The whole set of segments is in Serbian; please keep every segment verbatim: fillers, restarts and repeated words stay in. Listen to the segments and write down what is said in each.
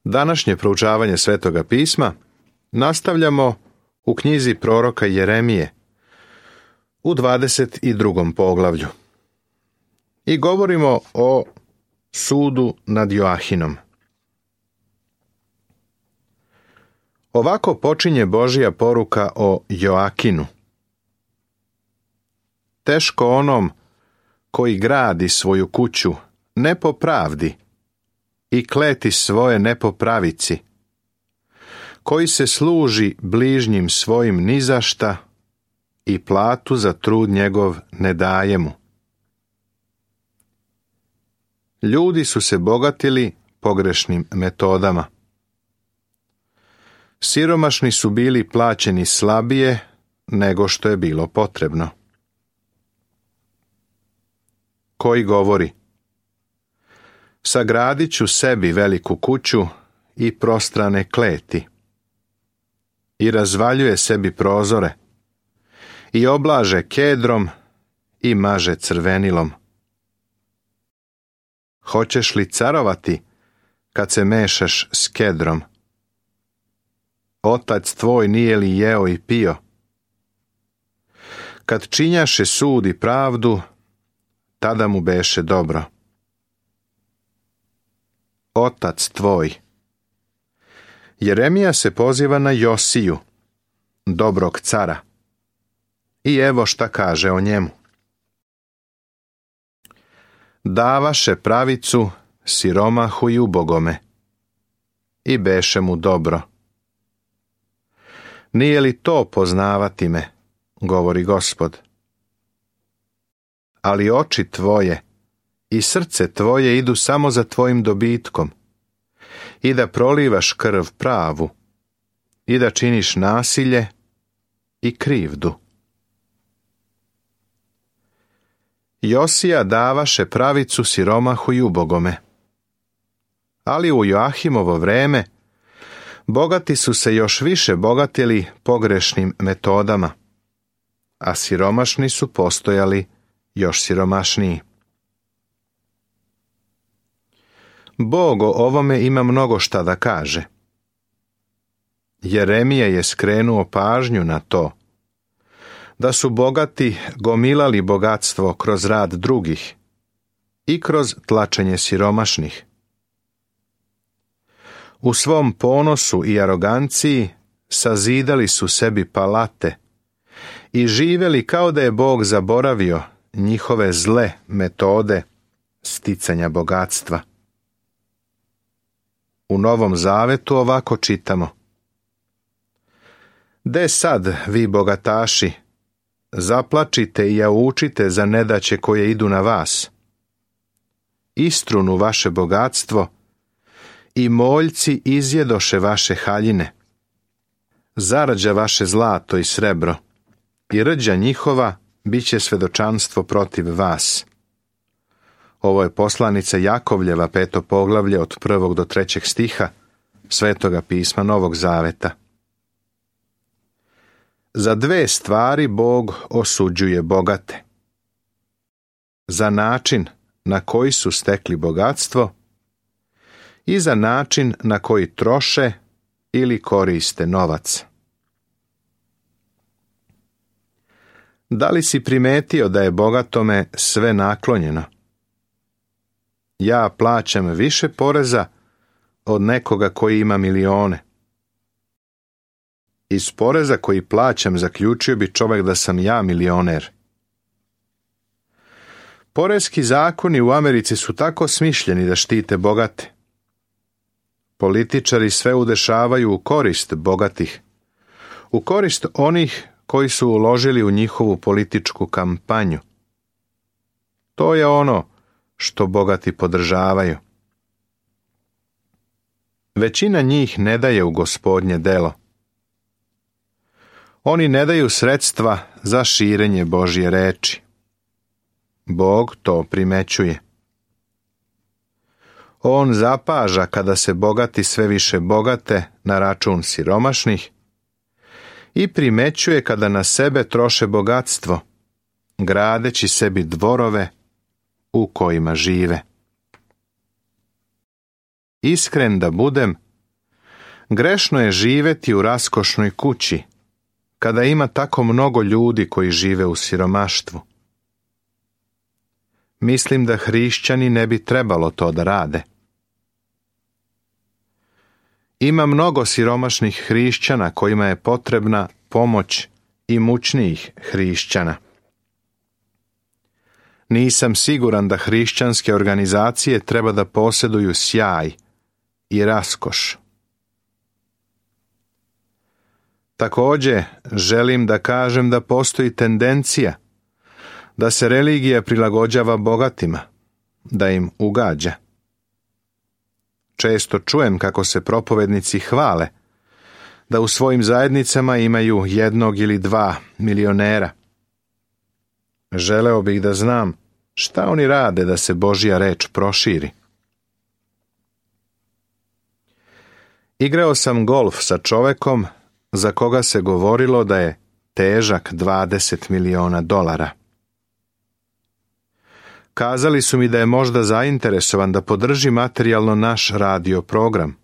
Današnje proučavanje Svetoga pisma nastavljamo u knjizi proroka Jeremije u dvadeset drugom poglavlju i govorimo o sudu nad Joahinom. Ovako počinje Božja poruka o Joakinu. Teško onom koji gradi svoju kuću ne po pravdi i kleti svoje ne po pravici, koji se služi bližnjim svojim nizašta i platu za trud njegov ne daje mu. Ljudi su se bogatili pogrešnim metodama. Siromašni su bili plaćeni slabije nego što je bilo potrebno. Koji govori: sagradit ću sebi veliku kuću i prostrane kleti, i razvaljuje sebi prozore, i oblaže kedrom i maže crvenilom. Hoćeš li carovati kad se mešaš s kedrom? Otac tvoj nije li jeo i pio? Kad činjaše sud i pravdu, tada mu beše dobro. Otac tvoj. Jeremija se poziva na Josiju, dobrog cara. I evo šta kaže o njemu. Davaše pravicu siromahu i ubogome, i beše mu dobro. Nije li to poznavati me, govori Gospod? Ali oči tvoje i srce tvoje idu samo za tvojim dobitkom, i da prolivaš krv pravu, i da činiš nasilje i krivdu. Josija davaše pravicu siromahu i ubogome. Ali u Joahimovo vreme bogati su se još više bogatili pogrešnim metodama, a siromašni su postojali još siromašniji. Bog o ovome ima mnogo šta da kaže. Jeremija je skrenuo pažnju na to da su bogati gomilali bogatstvo kroz rad drugih i kroz tlačenje siromašnih. U svom ponosu i aroganciji sazidali su sebi palate i živjeli kao da je Bog zaboravio njihove zle metode sticanja bogatstva. U Novom Zavetu ovako čitamo: De sad, vi bogataši, zaplačite i jaučite za nedaće koje idu na vas. Istrunu vaše bogatstvo i moljci izjedoše vaše haljine. Zarđa vaše zlato i srebro, i rđa njihova bit će svedočanstvo protiv vas. Ovo je poslanica Jakovljeva, peto poglavlje, od prvog do trećeg stiha Svetoga pisma Novog Zaveta. Za dve stvari Bog osuđuje bogate. Za način na koji su stekli bogatstvo i za način na koji troše ili koriste novac. Da li si primetio da je bogatome sve naklonjeno? Ja plaćam više poreza od nekoga koji ima milione. Iz poreza koji plaćam zaključio bi čovjek da sam ja milioner. Poreski zakoni u Americi su tako smišljeni da štite bogate. Političari sve udešavaju u korist bogatih, u korist onih koji su uložili u njihovu političku kampanju. To je ono što bogati podržavaju. Većina njih ne daje u Gospodnje delo. Oni ne daju sredstva za širenje Božje reči. Bog to primećuje. On zapaža kada se bogati sve više bogate na račun siromašnih i primećuje kada na sebe troše bogatstvo, gradeći sebi dvorove u kojima žive. Iskren da budem, Grešno je živjeti u raskošnoj kući, kada ima tako mnogo ljudi koji žive u siromaštvu. Mislim da hrišćani ne bi trebalo to da rade. Ima mnogo siromašnih hrišćana kojima je potrebna pomoć i mučnijih hrišćana. Nisam siguran da hrišćanske organizacije treba da posjeduju sjaj i raskoš. Također, želim da kažem da postoji tendencija da se religija prilagođava bogatima, da im ugađa. Često čujem kako se propovednici hvale da u svojim zajednicama imaju jednog ili dva milionera. Želeo bih da znam šta oni rade da se Božja reč proširi. Igrao sam golf sa čovekom za koga se govorilo da je težak dvadeset miliona dolara. Kazali su mi da je možda zainteresovan da podrži materijalno naš radio program.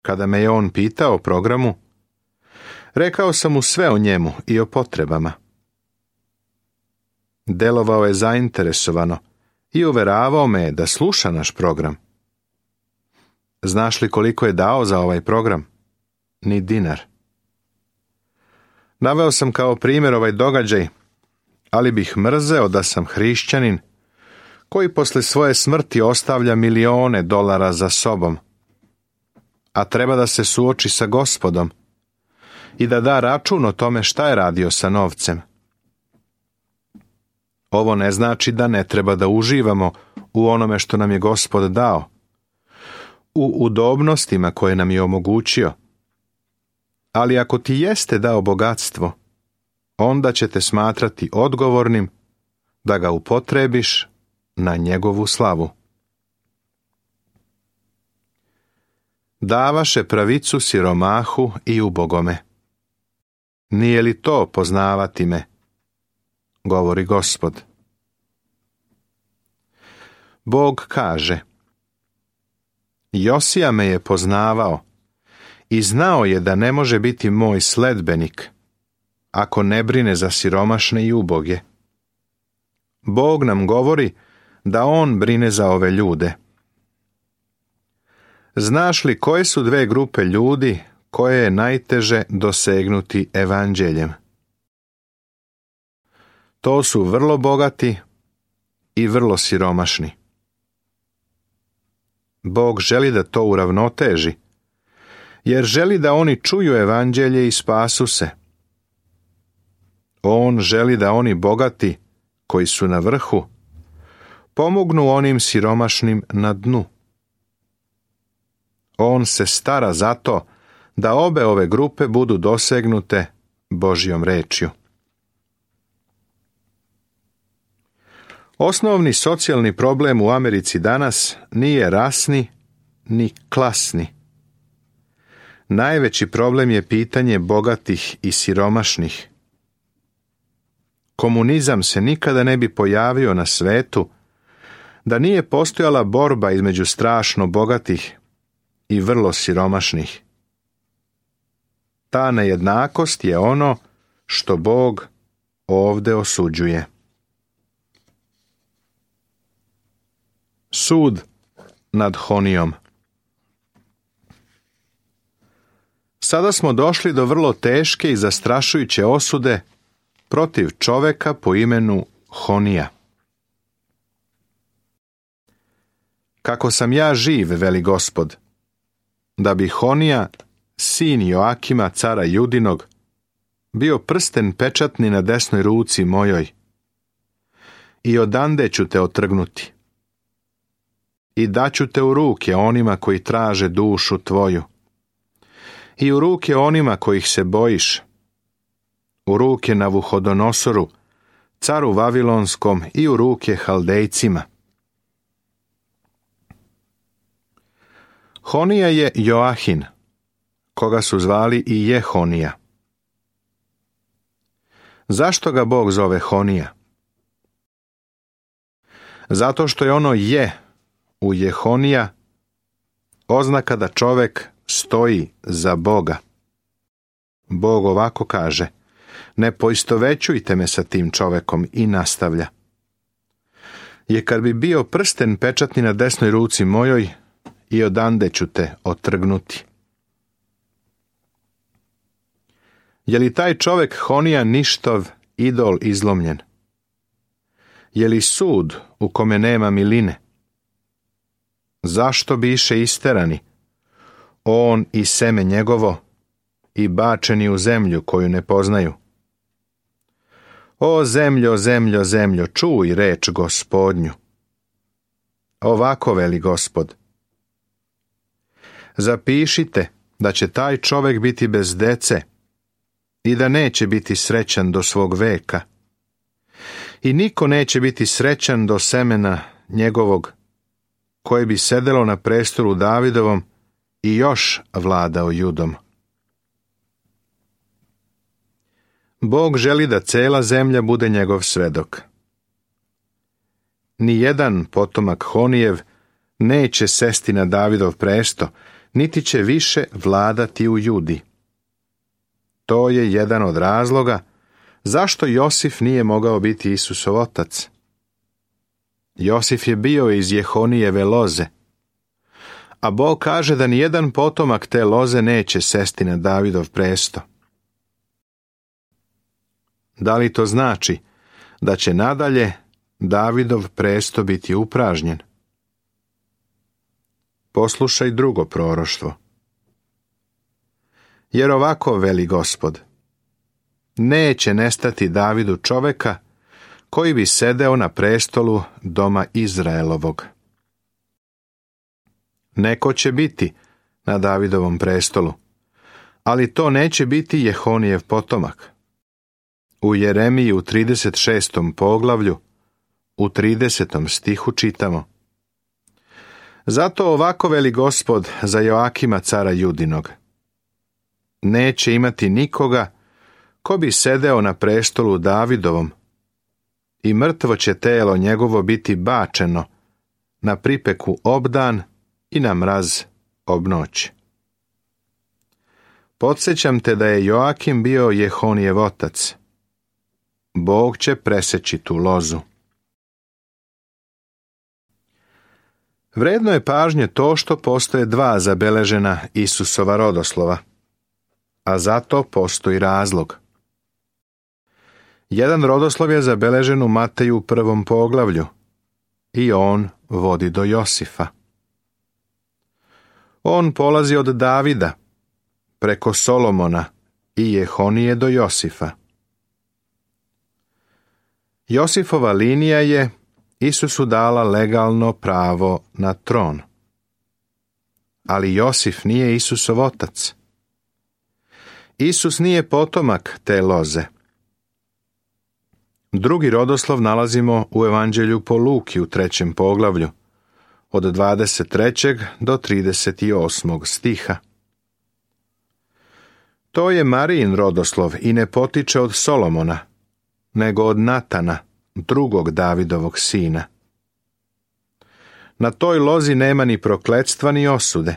Kada me je on pitao o programu, rekao sam mu sve o njemu i o potrebama. Delovao je zainteresovano i uveravao me da sluša naš program. Znaš li koliko je dao za ovaj program? Ni dinar. Naveo sam kao primjer ovaj događaj, ali bih mrzeo da sam hrišćanin koji posle svoje smrti ostavlja milione dolara za sobom, a treba da se suoči sa Gospodom i da da račun o tome šta je radio sa novcem. Ovo ne znači da ne treba da uživamo u onome što nam je Gospod dao, u udobnostima koje nam je omogućio. Ali ako ti jeste dao bogatstvo, onda će te smatrati odgovornim da ga upotrebiš na njegovu slavu. Davaše pravicu siromahu i ubogome. Nije li to poznavati me? Govori Gospod. Bog kaže: Josija me je poznavao i znao je da ne može biti moj sledbenik ako ne brine za siromašne i uboge. Bog nam govori da on brine za ove ljude. Znaš li koje su dve grupe ljudi koje je najteže dosegnuti evanđeljem? To su vrlo bogati i vrlo siromašni. Bog želi da to uravnoteži, jer želi da oni čuju evanđelje i spasu se. On želi da oni bogati, koji su na vrhu, pomognu onim siromašnim na dnu. On se stara za to da obe ove grupe budu dosegnute Božjom rečju. Osnovni socijalni problem u Americi danas nije rasni ni klasni. Najveći problem je pitanje bogatih i siromašnih. Komunizam se nikada ne bi pojavio na svetu da nije postojala borba između strašno bogatih i vrlo siromašnih. Ta nejednakost je ono što Bog ovde osuđuje. Sud nad Honijom. Sada smo došli do vrlo teške i zastrašujuće osude protiv čoveka po imenu Honija. Kako sam ja živ, veli Gospod, da bi Honija, sin Joakima, cara Judinog, bio prsten pečatni na desnoj ruci mojoj, i odande ću te otrgnuti. I daću te u ruke onima koji traže dušu tvoju, i u ruke onima kojih se bojiš, u ruke Navuhodonosoru, caru Vavilonskom, i u ruke Haldejcima. Honija je Joahin, koga su zvali i Jehonija. Zašto ga Bog zove Honija? Zato što je ono je u Jehonija oznaka da čovek stoji za Boga. Bog ovako kaže: ne poistovećujte me sa tim čovekom, i nastavlja: je kad bi bio prsten pečatni na desnoj ruci mojoj, i odande ću te otrgnuti. Je li taj čovek Honija ništov, idol izlomljen? Je li sud u kome nema miline? Zašto biše isterani, on i seme njegovo, i bačeni u zemlju koju ne poznaju? O zemljo, zemljo, zemljo, čuj reč Gospodnju. Ovako veli Gospod: zapišite da će taj čovek biti bez dece i da neće biti srećan do svog veka. I niko neće biti srećan do semena njegovog, koje bi sedelo na prestolu Davidovom i još vladao Judom. Bog želi da cela zemlja bude njegov svedok. Nijedan potomak Honijev neće sesti na Davidov presto, niti će više vladati u Judi. To je jedan od razloga zašto Josif nije mogao biti Isusov otac. Josif je bio iz Jehonijeve loze, a Bog kaže da nijedan potomak te loze neće sesti na Davidov presto. Da li to znači da će nadalje Davidov presto biti upražnjen? Poslušaj drugo proroštvo. Jer ovako veli Gospod: neće nestati Davidu čoveka koji bi sedeo na prestolu doma Izraelovog. Neko će biti na Davidovom prestolu, ali to neće biti Jehonijev potomak. U Jeremiji u trideset šestom poglavlju, u tridesetom stihu čitamo: zato ovako veli Gospod za Joakima cara Judinog: neće imati nikoga ko bi sedeo na prestolu Davidovom, i mrtvo će telo njegovo biti bačeno na pripeku obdan i na mraz obnoć. Podsjećam te da je Joakim bio Jehonijev otac. Bog će preseći tu lozu. Vredno je pažnje to što postoje dva zabeležena Isusova rodoslova, a zato postoji razlog. Jedan rodoslov je zabeležen u Mateju u prvom poglavlju i on vodi do Josifa. On polazi od Davida, preko Solomona i Jehonije do Josifa. Josifova linija je Isusu dala legalno pravo na tron. Ali Josif nije Isusov otac. Isus nije potomak te loze. Drugi rodoslov nalazimo u Evanđelju po Luki u trećem poglavlju, od dvadeset trećeg do trideset osmog stiha. To je Marijin rodoslov i ne potiče od Solomona, nego od Natana, drugog Davidovog sina. Na toj lozi nema ni prokletstva ni osude.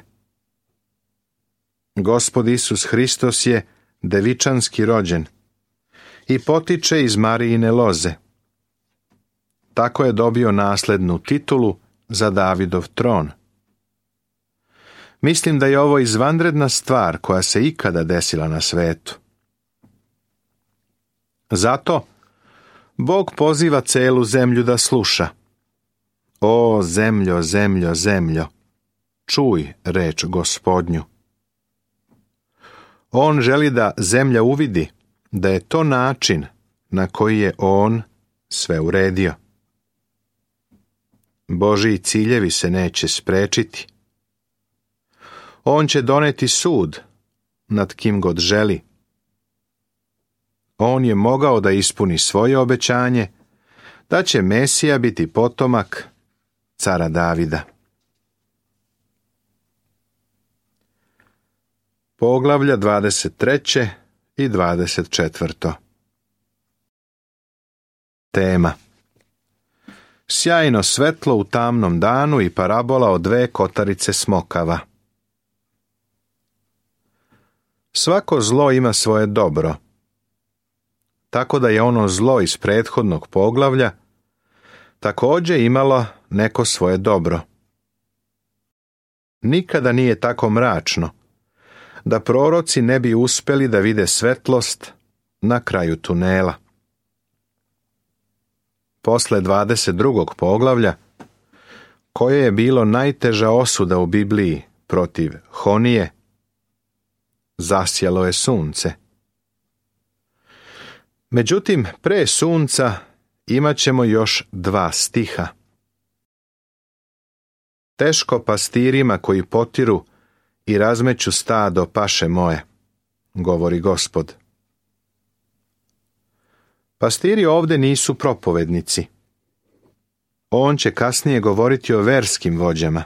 Gospod Isus Hristos je devičanski rođen i potiče iz Marijine loze. Tako je dobio naslednu titulu za Davidov tron. Mislim da je ovo izvanredna stvar koja se ikada desila na svetu. Zato Bog poziva celu zemlju da sluša. O zemljo, zemljo, zemljo, čuj reč Gospodnju. On želi da zemlja uvidi da je to način na koji je on sve uredio. Božji ciljevi se neće sprečiti. On će doneti sud nad kim god želi. On je mogao da ispuni svoje obećanje da će Mesija biti potomak cara Davida. Poglavlja dvadeset treće i dvadeset četvrto. Tema: sjajno svetlo u tamnom danu i parabola o dve kotarice smokava. Svako zlo ima svoje dobro, tako da je ono zlo iz prethodnog poglavlja također imalo neko svoje dobro. Nikada nije tako mračno da proroci ne bi uspjeli da vide svetlost na kraju tunela. Posle dvadeset drugog poglavlja, koje je bilo najteža osuda u Bibliji protiv Honije, zasjalo je sunce. Međutim, pre sunca imat ćemo još dva stiha. Teško pastirima koji potiru i razmeću stado paše moje, govori Gospod. Pastiri ovdje nisu propovednici. On će kasnije govoriti o verskim vođama.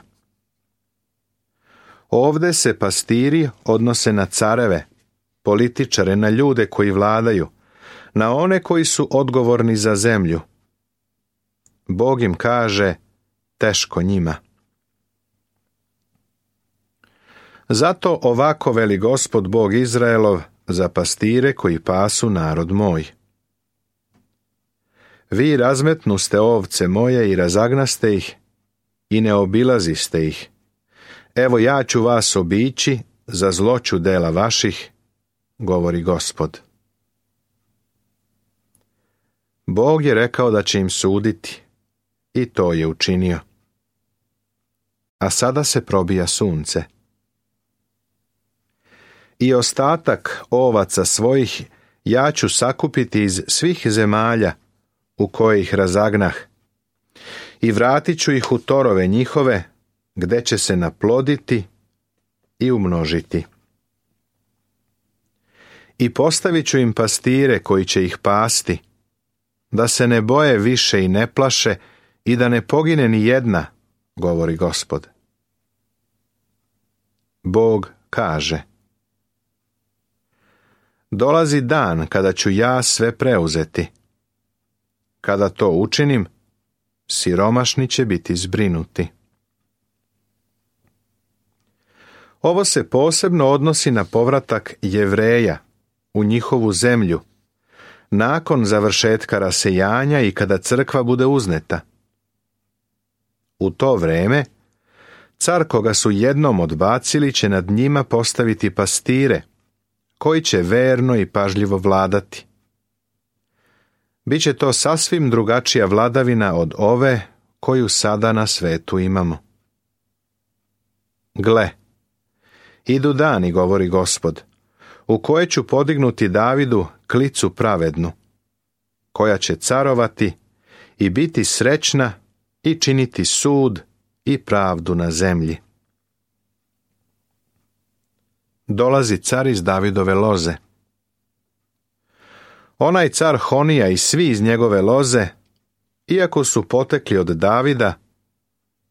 Ovdje se pastiri odnose na careve, političare, na ljude koji vladaju, na one koji su odgovorni za zemlju. Bog im kaže, teško njima. Zato ovako veli Gospod Bog Izraelov za pastire koji pasu narod moj. Vi razmetnuste ovce moje i razagnaste ih i ne obilaziste ih. Evo ja ću vas obići za zloću dela vaših, govori Gospod. Bog je rekao da će im suditi i to je učinio. A sada se probija sunce. I ostatak ovaca svojih ja ću sakupiti iz svih zemalja u koje ih razagnah i vratit ću ih u torove njihove, gde će se naploditi i umnožiti. I postavit ću im pastire koji će ih pasti, da se ne boje više i ne plaše i da ne pogine ni jedna, govori Gospod. Bog kaže: dolazi dan kada ću ja sve preuzeti. Kada to učinim, siromašni će biti zbrinuti. Ovo se posebno odnosi na povratak Jevreja u njihovu zemlju, nakon završetka rasejanja i kada crkva bude uzneta. U to vreme, car koga su jednom odbacili će nad njima postaviti pastire, koji će verno i pažljivo vladati. Biće to sasvim drugačija vladavina od ove koju sada na svetu imamo. Gle, idu dani, govori Gospod, u koje ću podignuti Davidu klicu pravednu, koja će carovati i biti srećna i činiti sud i pravdu na zemlji. Dolazi car iz Davidove loze. Onaj car Honija i svi iz njegove loze, iako su potekli od Davida,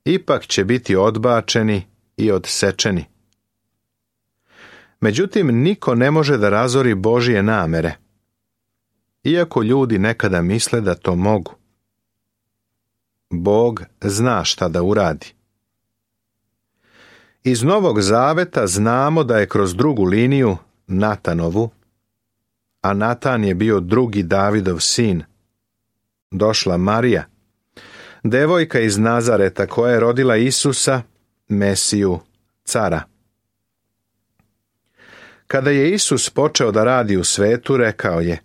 ipak će biti odbačeni i odsečeni. Međutim, niko ne može da razori Božje namere, iako ljudi nekada misle da to mogu. Bog zna šta da uradi. Iz Novog Zaveta znamo da je kroz drugu liniju, Natanovu, a Natan je bio drugi Davidov sin, došla Marija, devojka iz Nazareta koja je rodila Isusa, Mesiju, cara. Kada je Isus počeo da radi u svetu, rekao je: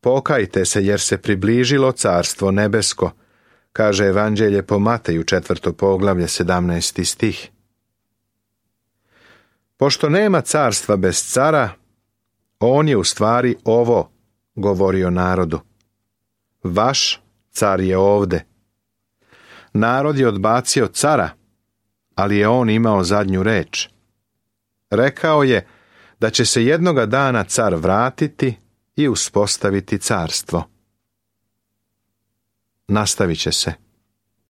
pokajte se jer se približilo carstvo nebesko, kaže Evanđelje po Mateju četvrto poglavlje sedamnaesti stih. Pošto nema carstva bez cara, on je u stvari ovo govorio narodu: vaš car je ovde. Narod je odbacio cara, ali je on imao zadnju reč. Rekao je da će se jednoga dana car vratiti i uspostaviti carstvo. Nastavit će se.